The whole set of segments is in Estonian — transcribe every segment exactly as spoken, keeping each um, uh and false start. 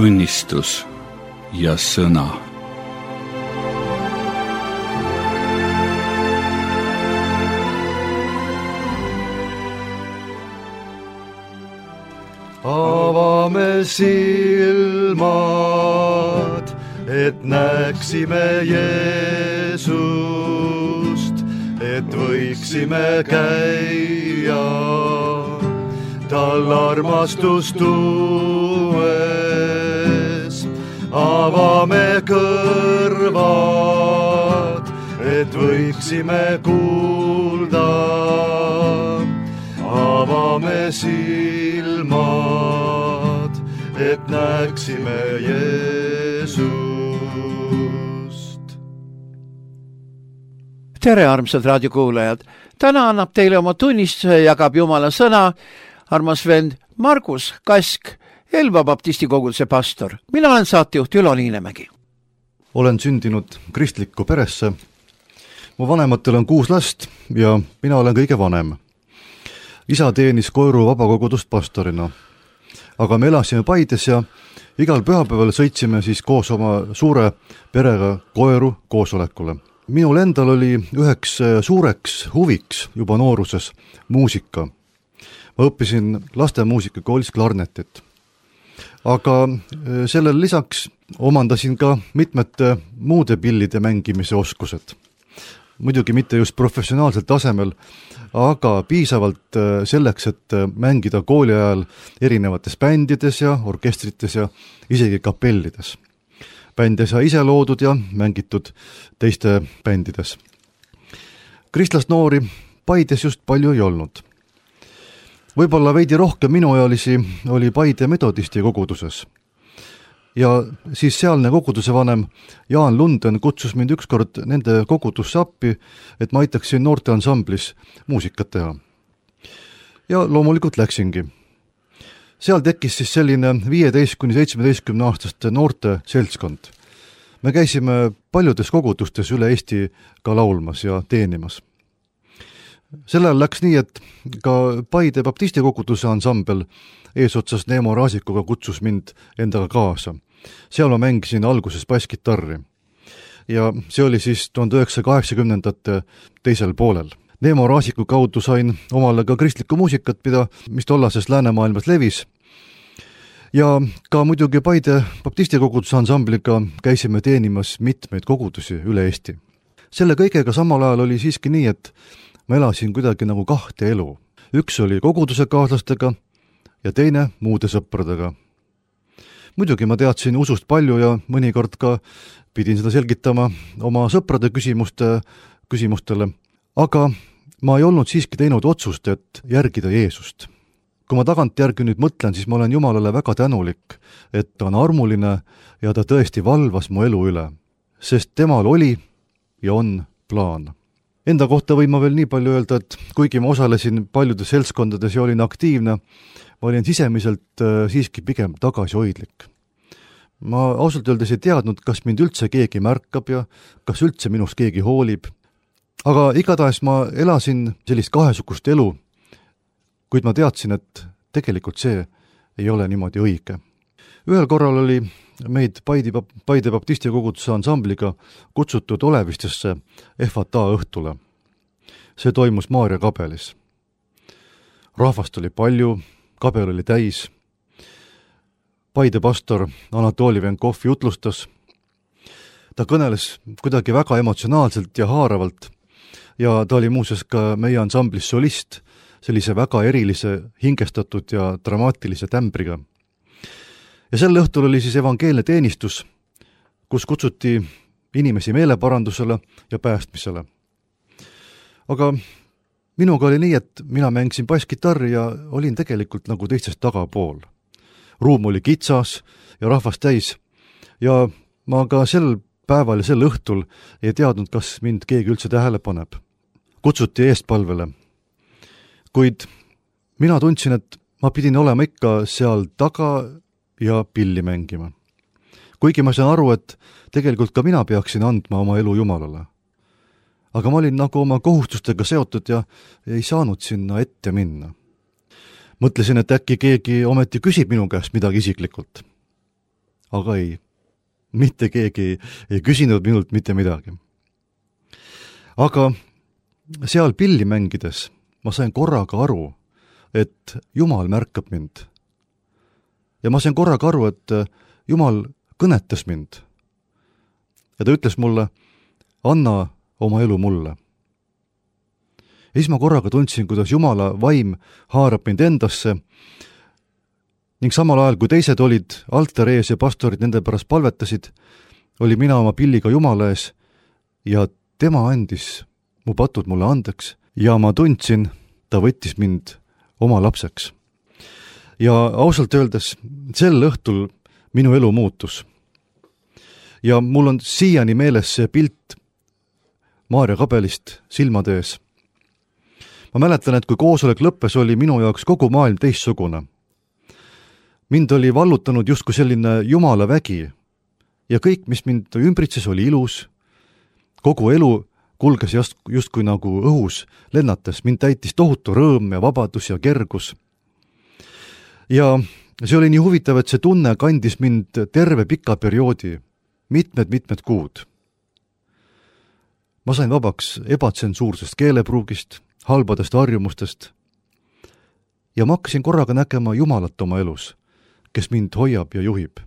tunnistus ja sõna. Avame silmad, et näeksime Jeesust, et võiksime käia tal armastust tuues. Avame kõrvad, et võiksime kuulda. Avame silmad, et näeksime Jeesust. Tere, armsad raadiokuulajad! Täna annab teile oma tunnistuse, jagab Jumala sõna armas vend Margus Kask, Elva baptisti koguduse pastor. Mina olen saatejuht Ülo Niinemägi. Olen sündinud kristlikku peresse. Mu vanematel on kuus last ja mina olen kõige vanem. Isa teenis Koiru vabakogudust pastorina. Aga me elasime Paides ja igal pühapäeval sõitsime siis koos oma suure perega Koiru koosolekule. Minul endal oli üheks suureks huviks juba nooruses muusika. Ma õppisin lastemuusika koolis klarnetit. Aga sellel lisaks omandasin ka mitmete muude pillide mängimise oskused. Muidugi mitte just professionaalsel tasemel, aga piisavalt selleks, et mängida kooli ajal erinevates bändides ja orkestrites ja isegi kapellides. Bände sai ise loodud ja mängitud teiste bändides. Kristlast noori Paides just palju ei olnud. Võib-olla veidi rohkem minuealisi oli Paide metodisti koguduses. Ja siis sealne koguduse vanem Jaan Lunden kutsus mind ükskord nende kogudusse appi, et ma aitaksin noorte ansamblis muusikat teha. Ja loomulikult läksingi. Seal tekkis siis selline viieteist kuni seitsmeteistkümne aastaste noorte seltskond. Me käisime paljudes kogudustes üle Eesti ka laulmas ja teenimas. Sellel läks nii, et ka Paide baptisti koguduse ansambel eesotsas Neemo Raasikuga kutsus mind endaga kaasa. Seal ma mängisin alguses basskitarri. Ja see oli siis tuhande üheksasaja kaheksakümnendate teisel poolel. Neemo Raasiku kaudu sain omale ka kristlikku muusikat, mida, mis tollases läänemaailmas levis. Ja ka muidugi Paide baptisti koguduse ansambliga käisime teenimas mitmeid kogudusi üle Eesti. Selle kõigega samal ajal oli siiski nii, et ma elasin kuidagi nagu kahte elu. Üks oli koguduse kaaslastega ja teine muude sõpradega. Muidugi ma teadsin usust palju ja mõnikord ka pidin seda selgitama oma sõprade küsimuste, küsimustele, aga ma ei olnud siiski teinud otsust, et järgida Jeesust. Kui ma tagant järgi nüüd mõtlen, siis ma olen Jumalale väga tänulik, et ta on armuline ja ta tõesti valvas mu elu üle, sest temal oli ja on plaan. Enda kohta võin ma veel nii palju öelda, et kuigi ma osalesin paljudes seltskondades ja olin aktiivne, ma olin sisemiselt siiski pigem tagasihoidlik. Ma ausalt öeldes ei teadnud, kas mind üldse keegi märkab ja kas üldse minust keegi hoolib. Aga igatahes ma elasin sellist kahesugust elu, kuid ma teadsin, et tegelikult see ei ole niimoodi õige. Ühel korral oli meid Paide, Paide baptisti koguduse ansambliga kutsutud Olevistesse F A T A õhtule. See toimus Maarja kabelis. Rahvast oli palju, kabel oli täis. Paide pastor Anatoli Venkov jutlustas. Ta kõneles kuidagi väga emotsionaalselt ja haaravalt ja ta oli muuseas ka meie ansamblis solist, sellise väga erilise, hingestatud ja dramaatilise tämbriga. Ja sel õhtul oli siis evangeelne teenistus, kus kutsuti inimesi meeleparandusele ja päästmisele. Aga minuga oli nii, et mina mängisin basskitarri ja olin tegelikult nagu teistest tagapool. Ruum oli kitsas ja rahvast täis ja ma ka sel päeval ja sel õhtul ei teadnud, kas mind keegi üldse tähele paneb. Kutsuti eestpalvele. Kuid mina tundsin, et ma pidin olema ikka seal taga ja pilli mängima. Kuigi ma saan aru, et tegelikult ka mina peaksin andma oma elu Jumalale. Aga ma olin nagu oma kohustustega seotud ja ei saanud sinna ette minna. Mõtlesin, et äkki keegi ometi küsib minu käest midagi isiklikult. aga ei, mitte keegi ei, ei küsinud minult mitte midagi. Aga seal pilli mängides ma sain korraga aru, et Jumal märkab mind. Ja ma sain korraga aru, et Jumal kõnetas mind. Ja ta ütles mulle, anna oma elu mulle. Ja siis ma korraga tundsin, kuidas Jumala vaim haarab mind endasse ning samal ajal, kui teised olid altari ees ja pastorid nende pärast palvetasid, oli mina oma pilliga Jumala ees ja tema andis mu patud mulle andeks ja ma tundsin, ta võttis mind oma lapseks. Ja ausalt öeldes, sel õhtul minu elu muutus. Ja mul on siiani meeles see pilt Maarja kabelist silmade ees. Ma mäletan, et kui koosolek lõppes, oli minu jaoks kogu maailm teistsugune. Mind oli vallutanud justkui selline Jumala vägi ja kõik, mis mind ümbritses, oli ilus. Kogu elu kulges just, justkui nagu õhus lennates. Mind täitis tohutu rõõm ja vabadus ja kergus. Ja see oli nii huvitav, et see tunne kandis mind terve pika perioodi, mitmed-mitmed kuud. Ma sain vabaks ebatsensuursest keelepruugist, halbadest harjumustest ja ma hakkasin korraga nägema Jumalat oma elus, kes mind hoiab ja juhib.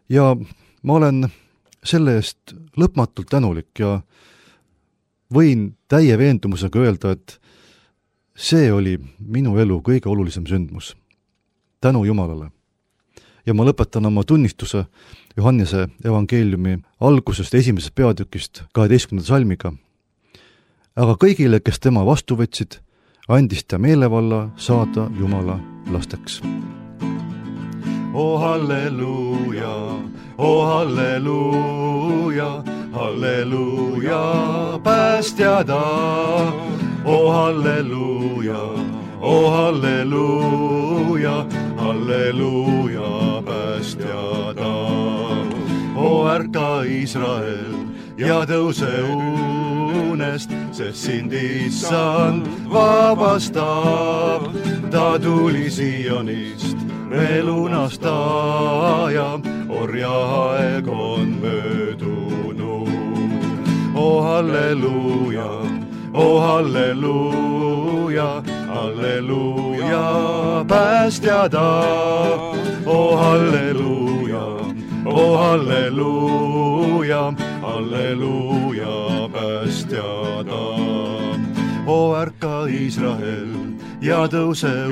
Ja ma olen selle eest lõpmatult tänulik ja võin täie veendumusega öelda, et see oli minu elu kõige olulisem sündmus. Tänu Jumalale. Ja ma lõpetan oma tunnistuse Johannese evangeeliumi algusest esimesest peatükist kaheteistkümnenda salmiga. Aga kõigile, kes tema vastu võtsid, andis ta meelevalla saada Jumala lasteks. O halleluuja, o halleluuja, halleluuja, päästja ta. O halleluuja, o halleluuja, halleluuja, päästja ta. O ärka Israel ja tõuse unest, sest sind issand vabastab. Ta tuli Sionist me lunastaja, orjaaeg on möödunud. O halleluuja, o halleluuja, halleluuja, päästja ta. O halleluuja, o halleluuja, halleluuja, päästja ta. O ärka Israel ja tõuse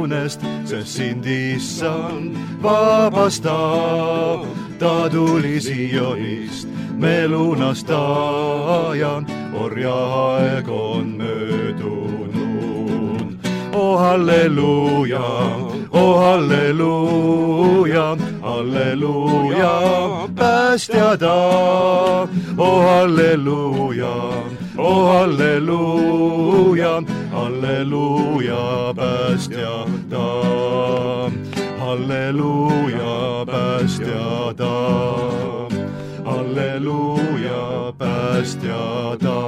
unest, sest sind issand vabastab. Ta tuli Sionist me lunastaja, orjaaeg on möödunud. O halleluuja, o halleluuja, halleluuja, päästja ta. O halleluuja, o halleluuja, halleluuja, päästja ta. Halleluuja, päästja ta. Halleluuja, päästja ta.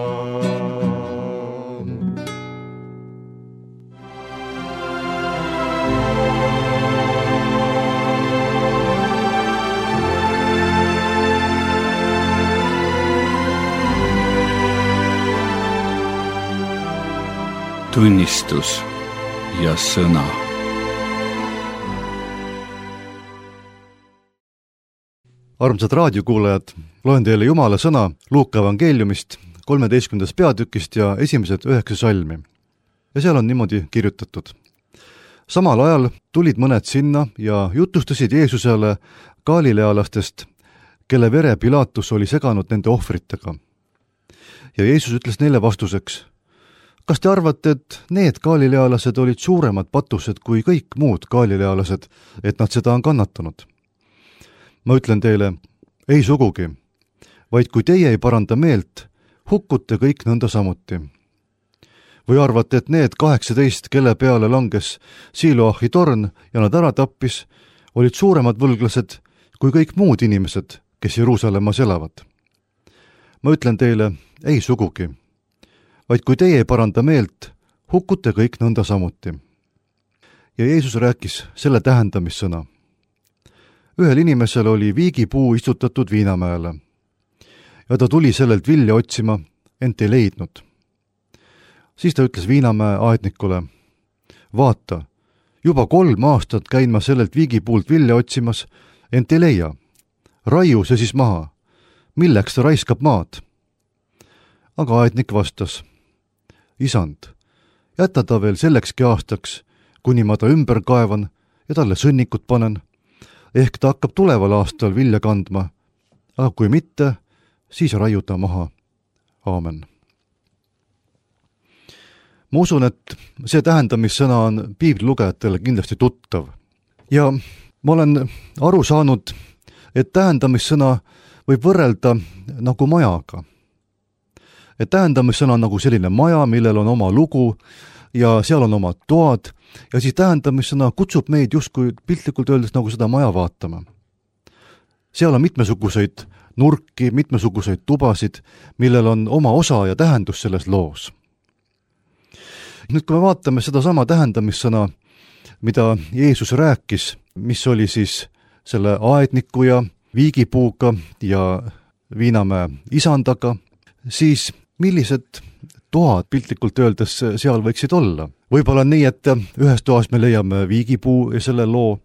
Tunnistus ja sõna. Armsad raadiokuulajad, loen teile Jumala sõna Luuka evangeeliumist, kolmeteistkümnendast peatükist ja esimesed üheksa salmi. Ja seal on niimoodi kirjutatud. Samal ajal tulid mõned sinna ja jutustasid Jeesusele galilealastest, kelle vere Pilatus oli seganud nende ohvritega. Ja Jeesus ütles neile vastuseks, kas te arvate, et need galilealased olid suuremad patused kui kõik muud galilealased, et nad seda on kannatanud? Ma ütlen teile, ei sugugi, vaid kui teie ei paranda meelt, hukkute kõik nõnda samuti. Või arvate, et need kaheksateist, kelle peale langes Siloahi torn ja nad ära tappis, olid suuremad võlglased kui kõik muud inimesed, kes Jeruusalemmas elavad? Ma ütlen teile, ei sugugi, vaid kui teie ei paranda meelt, hukkute kõik nõnda samuti. Ja Jeesus rääkis selle tähendamissõna. ühel inimesel oli viigipuu istutatud viinamäele ja ta tuli sellelt vilja otsima, ent ei leidnud. Siis ta ütles viinamäe aednikule: vaata, juba kolm aastat käin ma sellelt viigipuult vilja otsimas, ent ei leia. Raiu see siis maha. Milleks ta raiskab maad? Aga aednik vastas: isand, jäta ta veel sellekski aastaks, kuni ma ta ümber kaevan ja talle sõnnikut panen. Ehk ta hakkab tuleval aastal vilja kandma, aga kui mitte, siis raiu ta maha. Aamen. Ma usun, et see tähendamissõna on piiblilugejatele kindlasti tuttav. Ja ma olen aru saanud, et tähendamissõna võib võrrelda nagu majaga. Et tähendamissõna on nagu selline maja, millel on oma lugu ja seal on omad toad ja siis tähendamissõna kutsub meid justkui piltlikult öeldes nagu seda maja vaatama. Seal on mitmesuguseid nurki, mitmesuguseid tubasid, millel on oma osa ja tähendus selles loos. Nüüd, kui me vaatame seda sama tähendamissõna, mida Jeesus rääkis, mis oli siis selle aedniku ja viigipuuga ja viinamäe isandaga, siis millised toad piltlikult öeldes seal võiksid olla? Võib-olla nii, et ühes toas me leiame viigipuu ja selle loo,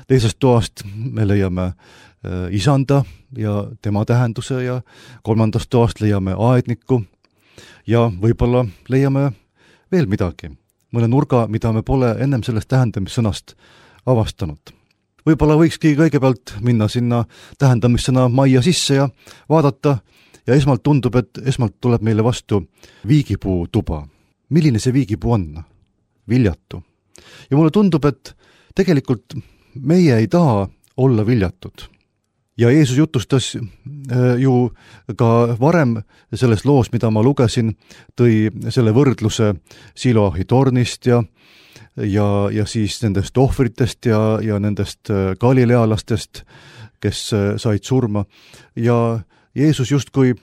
teisest toast me leiame isanda ja tema tähenduse ja kolmandast toast leiame aedniku ja võib-olla leiame veel midagi, mõne nurga, mida me pole ennem sellest tähendamissõnast avastanud. Võib-olla võikski kõigepealt minna sinna tähendamissõna majja sisse ja vaadata ja esmalt tundub, et esmalt tuleb meile vastu viigipuu tuba. Milline see viigipuu on? Viljatu. Ja mulle tundub, et tegelikult meie ei taha olla viljatud. Ja Jeesus jutustas ju ka varem selles loos, mida ma lugesin, tõi selle võrdluse Siloahi tornist ja, ja, ja siis nendest ohvritest ja, ja nendest galilealastest, kes said surma. Ja Jeesus justkui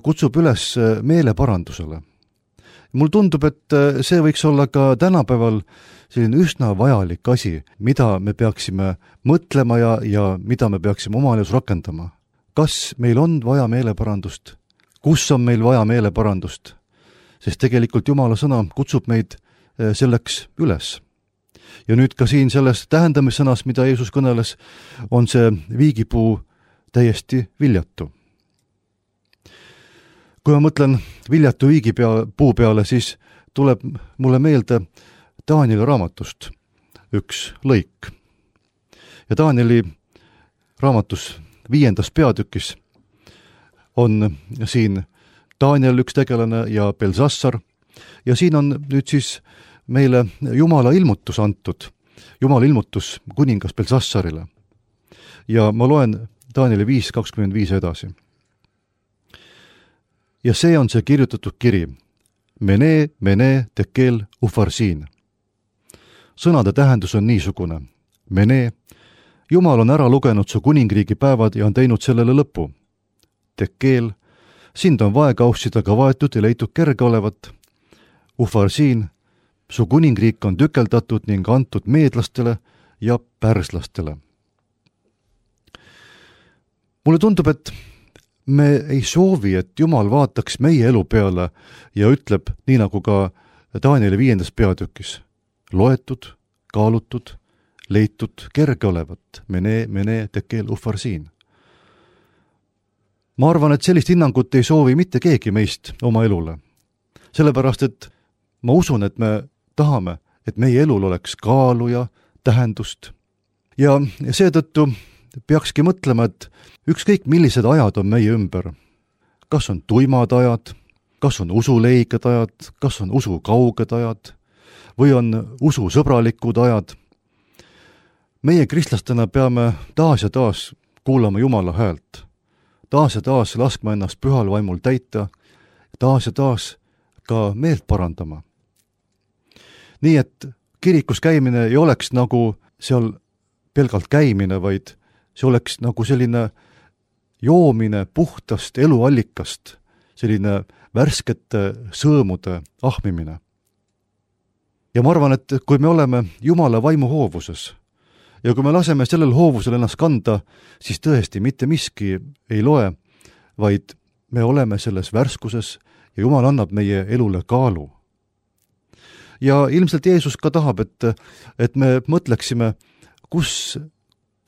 kutsub üles meeleparandusele. Mul tundub, et see võiks olla ka tänapäeval selline üsna vajalik asi, mida me peaksime mõtlema ja, ja mida me peaksime oma elus rakendama. Kas meil on vaja meeleparandust? Kus on meil vaja meeleparandust? Sest tegelikult Jumala sõna kutsub meid selleks üles. Ja nüüd ka siin selles tähendamissõnas, mida Jeesus kõneles, on see viigipuu täiesti viljatu. Kui ma mõtlen viljatu viigipuu peale, siis tuleb mulle meelde Danieli raamatust üks lõik. Ja Danieli raamatus viiendas peatükis on siin Daniel üks tegelane ja Belsassar. Ja siin on nüüd siis meile Jumala ilmutus antud. Jumala ilmutus kuningas Belsassarile. Ja ma loen Danieli viis kakskümmend viis edasi. Ja see on see kirjutatud kiri. Mene, mene, tekel, ufarsiin. Sõnade tähendus on niisugune. Mene, Jumal on ära lugenud su kuningriigi päevad ja on teinud sellele lõpu. Tekel, sind on vaekausidega vaetud ja leitud kerge olevat. Ufarsiin, su kuningriik on tükeldatud ning antud meedlastele ja pärslastele. Mulle tundub, et me ei soovi, et Jumal vaataks meie elu peale ja ütleb, nii nagu ka Danieli viiendas peatükis, loetud, kaalutud, leitud, kerge olevat, mene, mene, tekel, ufarsiin. Ma arvan, et sellist hinnangut ei soovi mitte keegi meist oma elule. Sellepärast, et ma usun, et me tahame, et meie elul oleks kaalu ja tähendust. Ja seetõttu peakski mõtlema, et ükskõik millised ajad on meie ümber. Kas on tuimad ajad, kas on usuleiged ajad, kas on usukauged ajad või on ususõbralikud ajad. Meie kristlastena peame taas ja taas kuulama Jumala häält. Taas ja taas laskma ennast pühal vaimul täita, taas ja taas ka meelt parandama. Nii et kirikus käimine ei oleks nagu seal pelgalt käimine, vaid see oleks nagu selline joomine puhtast eluallikast, selline värskete sõõmude ahmimine. Ja ma arvan, et kui me oleme Jumala vaimu hoovuses ja kui me laseme sellel hoovusel ennast kanda, siis tõesti mitte miski ei loe, vaid me oleme selles värskuses ja Jumal annab meie elule kaalu. Ja ilmselt Jeesus ka tahab, et, et me mõtleksime, kus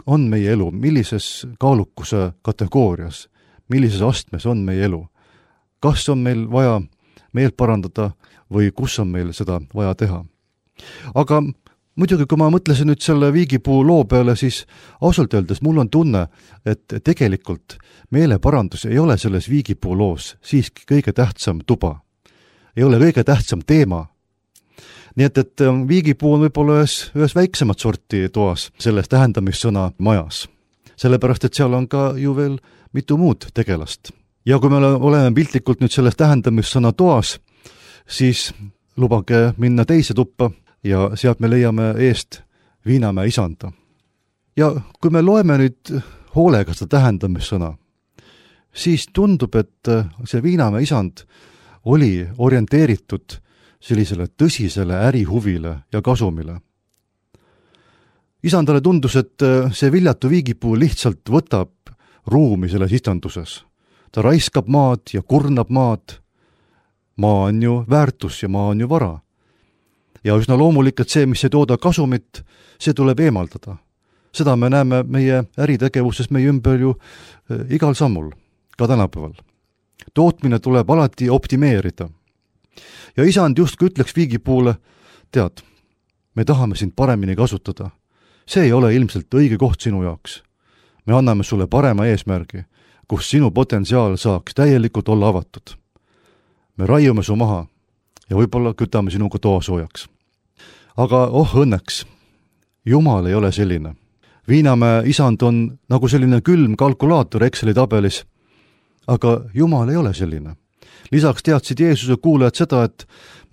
on meie elu, millises kaalukuse kategoorias, millises astmes on meie elu. Kas on meil vaja meelt parandada või kus on meil seda vaja teha. Aga muidugi, kui ma mõtlesin nüüd selle viigipuu loo peale, siis ausalt öeldes mul on tunne, et tegelikult meeleparandus ei ole selles viigipuu loos siiski kõige tähtsam tuba. Ei ole kõige tähtsam teema. Nii et, et viigipuu on võib-olla ühes, ühes väiksemat sorti toas selles tähendamissõna majas. Sellepärast, et seal on ka ju veel mitu muud tegelast. Ja kui me oleme piltlikult nüüd selles tähendamissõna toas, siis lubage minna teise tuppa ja sealt me leiame eest Viinamäe isanda. Ja kui me loeme nüüd hoolega seda tähendamissõna, siis tundub, et see Viinamäe isand oli orienteeritud sellisele tõsisele ärihuvile ja kasumile. Isandale tundus, et see viljatu viigipuu lihtsalt võtab ruumi selles istanduses. Ta raiskab maad ja kurnab maad. Maa on ju väärtus ja maa on ju vara. Ja üsna loomulik, et see, mis ei tooda kasumit, see tuleb eemaldada. Seda me näeme meie äritegevuses meie ümber ju igal sammul, ka tänapäeval. Tootmine tuleb alati optimeerida. Ja isand justkui ütleks viigipuule, tead, me tahame sind paremini kasutada. See ei ole ilmselt õige koht sinu jaoks. Me anname sulle parema eesmärgi, kus sinu potentsiaal saaks täielikult olla avatud. Me raiume su maha ja võib-olla kütame sinuga toa soojaks. Aga oh õnneks, Jumal ei ole selline. Viinamäe isand on nagu selline külm kalkulaator Exceli tabelis, aga Jumal ei ole selline. Lisaks teadsid Jeesuse kuulajad seda, et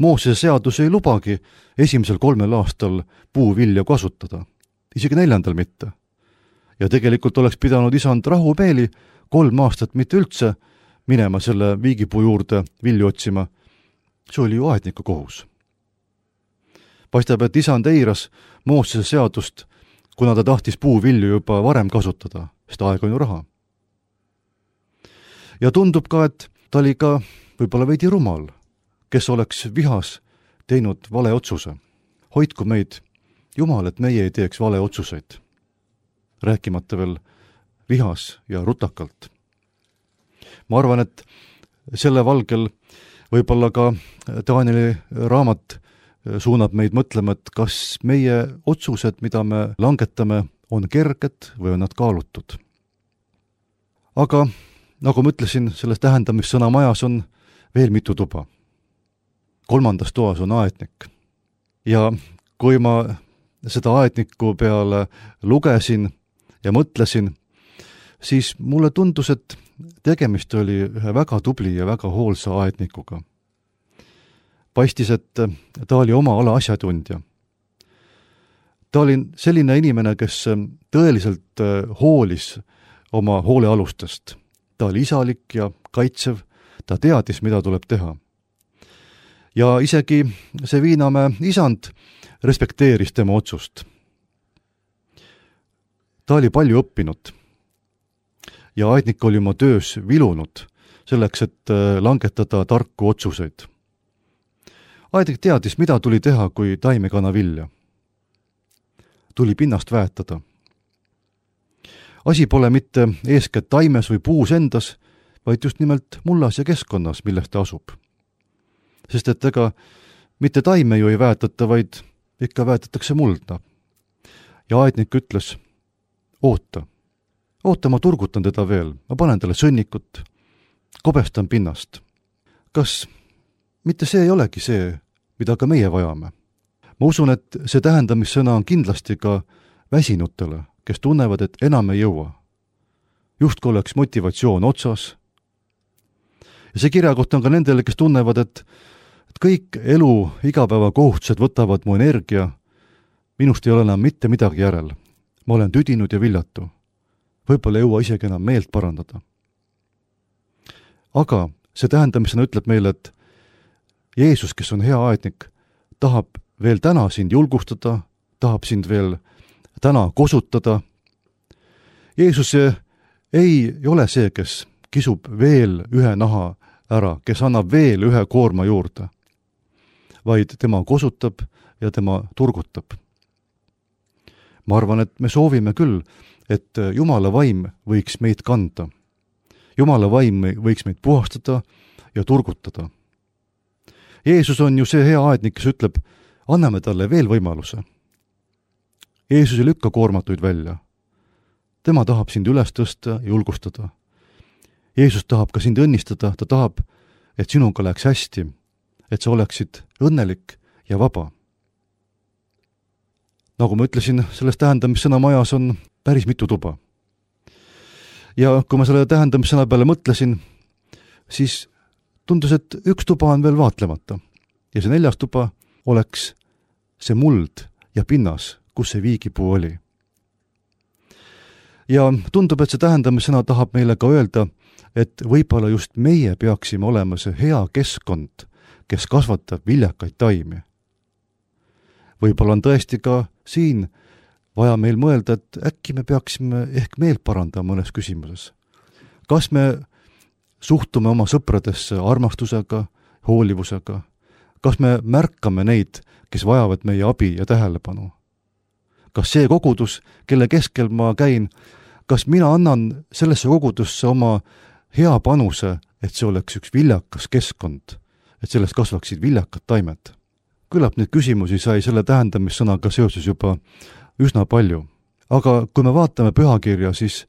Moosese seadus ei lubagi esimesel kolmel aastal puuvilja kasutada, isegi neljandal mitte. Ja tegelikult oleks pidanud isand rahumeeli kolm aastat mitte üldse minema selle viigipuu juurde vilju otsima. See oli ju aedniku kohus. Paistab, et isand eiras Moosese seadust, kuna ta tahtis puuvilju juba varem kasutada, sest aeg on ju raha. Ja tundub ka, et ta oli ka võib-olla veidi rumal, kes oleks vihas teinud vale otsuse. Hoidku meid, Jumal, et meie ei teeks vale otsuseid. Rääkimata veel vihas ja rutakalt. Ma arvan, et selle valgel võib-olla ka Danieli raamat suunab meid mõtlema, et kas meie otsused, mida me langetame, on kerged või on nad kaalutud. Aga nagu ma ütlesin, selles tähendamissõna majas on veel mitu tuba. Kolmandas toas on aednik. Ja kui ma seda aedniku peale lugesin ja mõtlesin, siis mulle tundus, et tegemist oli ühe väga tubli ja väga hoolsa aednikuga. Paistis, et ta oli oma ala asjatundja. Ta oli selline inimene, kes tõeliselt hoolis oma hoolealustest. Ta oli isalik ja kaitsev, ta teadis, mida tuleb teha. Ja isegi see Viinamäe isand respekteeris tema otsust. Ta oli palju õppinud ja aednik oli oma töös vilunud selleks, et langetada tarku otsuseid. Aednik teadis, mida tuli teha, kui taim ei kana vilja. Tuli pinnast väetada. Asi pole mitte eeskätt taimes või puus endas, vaid just nimelt mullas ja keskkonnas, milles ta asub. Sest et ega mitte taime ju ei väetata, vaid ikka väetatakse mulda. Ja aednik ütles, oota, oota, ma turgutan teda veel, ma panen talle sõnnikut, kobestan pinnast. Kas mitte see ei olegi see, mida ka meie vajame? Ma usun, et see tähendamissõna on kindlasti ka väsinutele, kes tunnevad, et enam ei jõua. Justku oleks motivatsioon otsas. Ja see kirjakoht on ka nendele, kes tunnevad, et, et kõik elu igapäeva kohustused võtavad mu energia, minust ei ole enam mitte midagi järel. Ma olen tüdinud ja viljatu. Võib-olla ei jõua isegi enam meelt parandada. Aga see tähendamisena ütleb meile, et Jeesus, kes on hea aednik, tahab veel täna sind julgustada, tahab sind veel täna kosutada. Jeesus ei ole see, kes kisub veel ühe naha ära, kes annab veel ühe koorma juurde, vaid tema kosutab ja tema turgutab. Ma arvan, et me soovime küll, et Jumala vaim võiks meid kanda. Jumala vaim võiks meid puhastada ja turgutada. Jeesus on ju see hea aednik, kes ütleb, anname talle veel võimaluse. Jeesus ei lükka koormatuid välja. Tema tahab sind üles tõsta ja julgustada. Jeesus tahab ka sind õnnistada, ta tahab, et sinuga läheks hästi, et sa oleksid õnnelik ja vaba. Nagu ma ütlesin, selles tähendamissõna majas on päris mitu tuba. Ja kui ma selle tähendamissõna peale mõtlesin, siis tundus, et üks tuba on veel vaatlemata. Ja see neljas tuba oleks see muld ja pinnas, kus see viigipuu oli. Ja tundub, et see tähendamissõna tahab meile ka öelda, et võib-olla just meie peaksime olema see hea keskkond, kes kasvatab viljakaid taimi. Võib-olla on tõesti ka siin vaja meil mõelda, et äkki me peaksime ehk meelt parandama mõnes küsimuses. Kas me suhtume oma sõpradesse armastusega, hoolivusega? Kas me märkame neid, kes vajavad meie abi ja tähelepanu? Kas see kogudus, kelle keskel ma käin, kas mina annan sellesse kogudusse oma hea panuse, et see oleks üks viljakas keskkond, et sellest kasvaksid viljakad taimed? Küllap neid küsimusi sai selle tähendamissõnaga seoses juba üsna palju. Aga kui me vaatame pühakirja, siis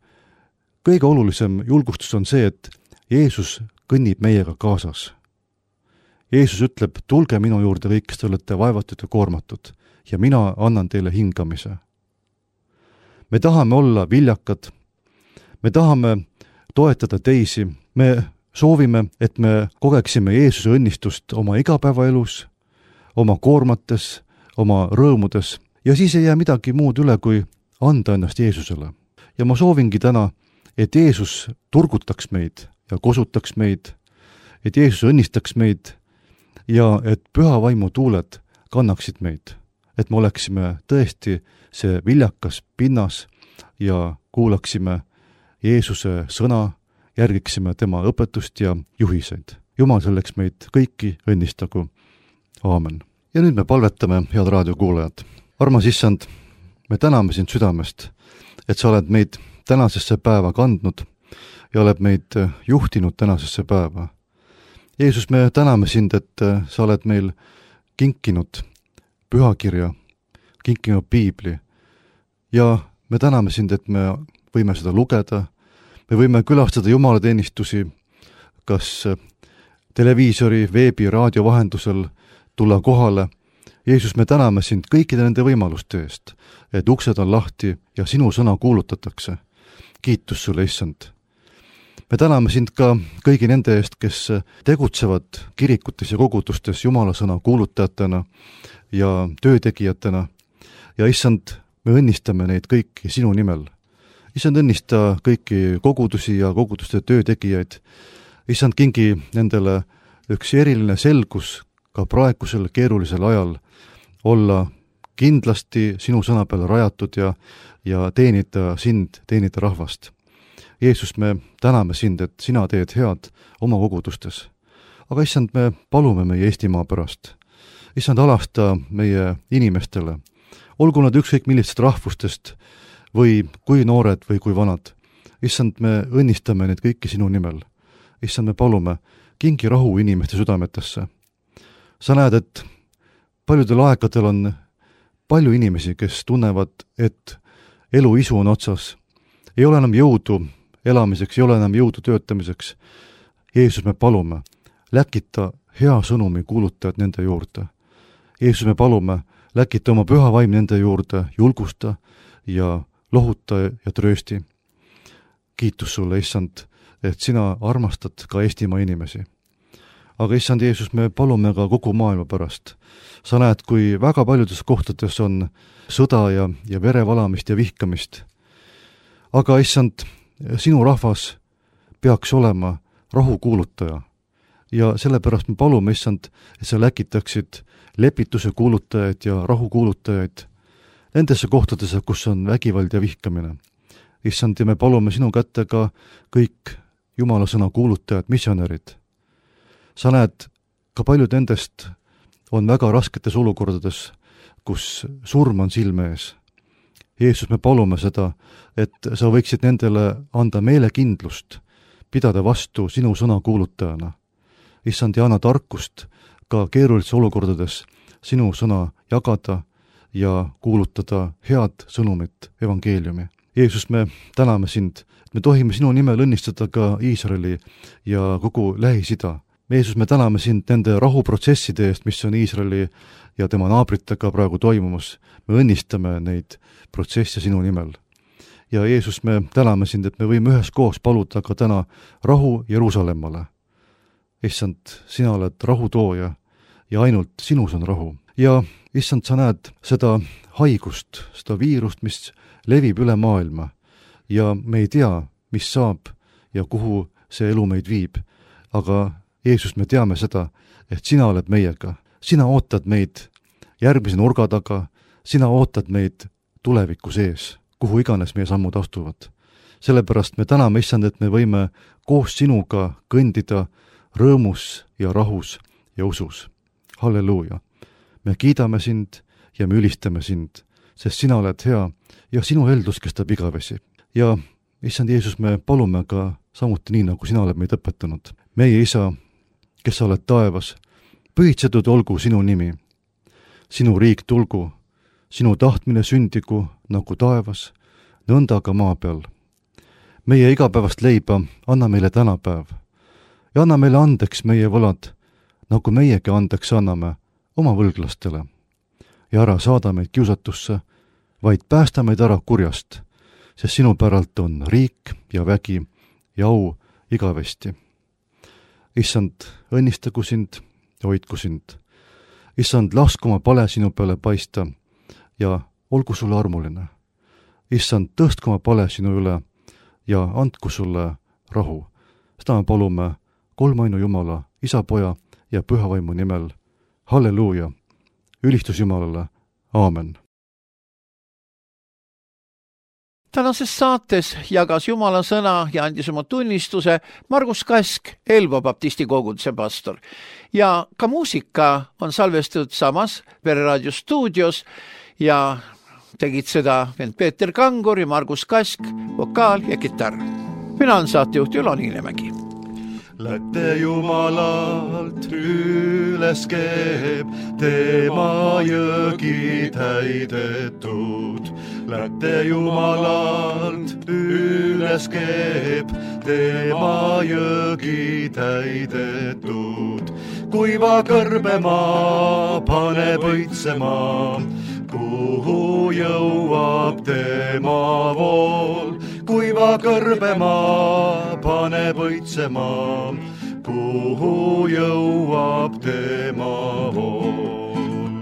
kõige olulisem julgustus on see, et Jeesus kõnnib meiega kaasas. Jeesus ütleb, tulge minu juurde kõik, kes te olete vaevatud ja koormatud, ja mina annan teile hingamise. Me tahame olla viljakad, me tahame toetada teisi, me soovime, et me kogeksime Jeesuse õnnistust oma igapäevaelus, oma koormates, oma rõõmudes, ja siis ei jää midagi muud üle, kui anda ennast Jeesusele. Ja ma soovingi täna, et Jeesus turgutaks meid ja kosutaks meid, et Jeesus õnnistaks meid ja et püha vaimu tuuled kannaksid meid, et me oleksime tõesti see viljakas pinnas ja kuulaksime Jeesuse sõna, järgiksime tema õpetust ja juhiseid. Jumal selleks meid kõiki õnnistagu. Aamen. Ja nüüd me palvetame, head raadiokuulajad. Armas Issand, me täname sind südamest, et sa oled meid tänasesse päeva kandnud ja oled meid juhtinud tänasesse päeva. Jeesus, me täname sind, et sa oled meil kinkinud pühakirja, kinkinud piibli ja me täname sind, et me võime seda lugeda, me võime külastada jumalateenistusi, kas televiisori, veebi, raadio vahendusel tulla kohale. Jeesus, me täname sind kõikide nende võimaluste eest, et uksed on lahti ja sinu sõna kuulutatakse. Kiitus sulle, Issand. Me täname sind ka kõigi nende eest, kes tegutsevad kirikutes ja kogudustes Jumala sõna kuulutajatena ja töötegijatena. Ja Issand, me õnnistame neid kõiki sinu nimel. Issand, õnnista kõiki kogudusi ja koguduste töötegijaid. Issand, kingi nendele üks eriline selgus ka praegusel keerulisel ajal olla kindlasti sinu sõna peale rajatud ja, ja teenida sind, teenida rahvast. Jeesus, me täname sind, et sina teed head oma kogudustes. Aga Issand, me palume meie Eestimaa pärast. Issand, alasta meie inimestele. Olgu nad ükskõik millistest rahvustest või kui noored või kui vanad. Issand, me õnnistame neid kõiki sinu nimel. Issand, me palume, kingi rahu inimeste südametesse. Sa näed, et paljudel aegadel on palju inimesi, kes tunnevad, et elu isu on otsas. Ei ole enam jõudu elamiseks, ei ole enam jõudu töötamiseks. Jeesus, me palume, läkita hea sõnumi kuulutajad nende juurde. Jeesus, me palume, läkita oma püha vaim nende juurde, julgusta ja lohuta ja tröösti. Kiitus sulle, Issand, et sina armastad ka Eestimaa inimesi. Aga Issand Jeesus, me palume ka kogu maailma pärast. Sa näed, kui väga paljudes kohtades on sõda ja, ja verevalamist ja vihkamist. Aga Issand, sinu rahvas peaks olema rahukuulutaja. Ja sellepärast me palume, Issand, et sa läkitaksid lepituse kuulutajaid ja rahukuulutajaid. nendesse kohtadesse, kus on vägivald ja vihkamine. Issand, ja me palume sinu kätte ka kõik Jumala sõna kuulutajad, missionärid. Sa näed, ka paljud nendest on väga rasketes olukordades, kus surm on silme ees. Jeesus, me palume seda, et sa võiksid nendele anda meelekindlust, pidada vastu sinu sõna kuulutajana. Issand, ja anna tarkust ka keerulises olukordades sinu sõna jagada ja kuulutada head sõnumit, evangeeliumi. Jeesus, me täname sind, et me tohime sinu nimel õnnistada ka Iisraeli ja kogu Lähis-Ida. Jeesus, me täname sind nende rahuprotsesside eest, mis on Iisraeli ja tema naabritega praegu toimumas. Me õnnistame neid protsesse sinu nimel. Ja Jeesus, me täname sind, et me võime üheskoos paluda ka täna rahu Jeruusalemmale. Issand, sina oled rahutooja ja ainult sinus on rahu. Ja issand, sa näed seda haigust, seda viirust, mis levib üle maailma ja me ei tea, mis saab ja kuhu see elu meid viib. Aga Jeesus, me teame seda, et sina oled meiega. Sina ootad meid järgmise nurga taga, sina ootad meid tuleviku sees, kuhu iganes meie sammud astuvad. Sellepärast me täname, issand, et me võime koos sinuga kõndida rõõmus ja rahus ja usus. Halleluuja! Me kiidame sind ja me ülistame sind, sest sina oled hea ja sinu heldus kestab igavesi. Ja issand Jeesus, me palume ka samuti nii, nagu sina oled meid õpetanud. Meie isa, kes sa oled taevas, pühitsetud olgu sinu nimi. Sinu riik tulgu, sinu tahtmine sündigu nagu taevas, nõnda ka maa peal. Meie igapäevast leiba anna meile tänapäev ja anna meile andeks meie võlad, nagu meiegi andeks anname oma võlglastele. Ja ära saada meid kiusatusse, vaid päästa meid ära kurjast, sest sinu päralt on riik ja vägi ja au igavesti. Issand, õnnistagu sind ja hoidku sind. Issand, lasku oma pale sinu peale paista ja olgu sulle armuline. Issand, tõstku oma pale sinu üle ja andku sulle rahu. Seda me palume kolmainu Jumala, Isa, Poja ja Pühavaimu nimel. Halleluuja! Ülistus Jumalale! Aamen! Tänases saates jagas Jumala sõna ja andis oma tunnistuse Margus Kask, Elva baptisti koguduse pastor. Ja ka muusika on salvestatud samas Pereraadio stuudios ja tegid seda vend Peeter Kangur ja Margus Kask, vokaal ja kitarr. Mina olen saatejuht Ülo Niinemägi. Lätte Jumalalt üles keeb, tema jõgi täidetud. Lätte Jumalalt üles keeb, tema jõgi täidetud. Kuiva kõrbemaa paneb õitsema, kuhu jõuab tema vool. Kuiva kõrbemaa paneb õitsema, kuhu jõuab tema vool.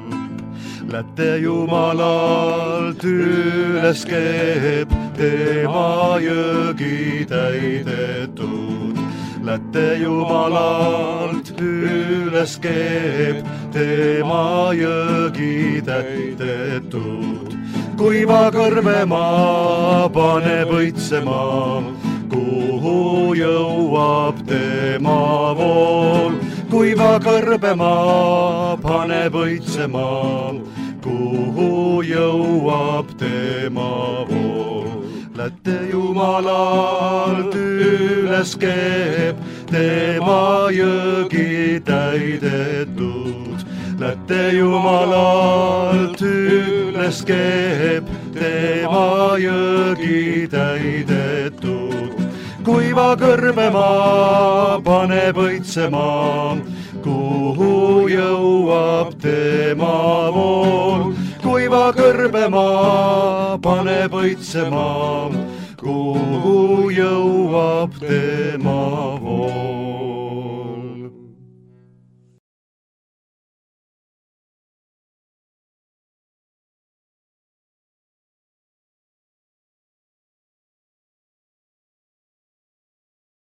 Lätte Jumalalt üles keeb, tema jõgi täidetud. Lätte Jumalalt üles keeb, tema jõgi täidetud. Kuiva kõrbemaa paneb õitsema, kuhu jõuab tema vool. Kuiva kõrbemaa paneb õitsema, kuhu jõuab tema vool. Lätte Jumalalt üles keeb, tema jõgi täidetud. Lätte Jumalalt üles keeb, tema jõgi täidetud. Kuiva kõrbemaa paneb õitsema, kuhu jõuab tema vool. Kuiva kõrbemaa paneb õitsema, kuhu jõuab tema vool.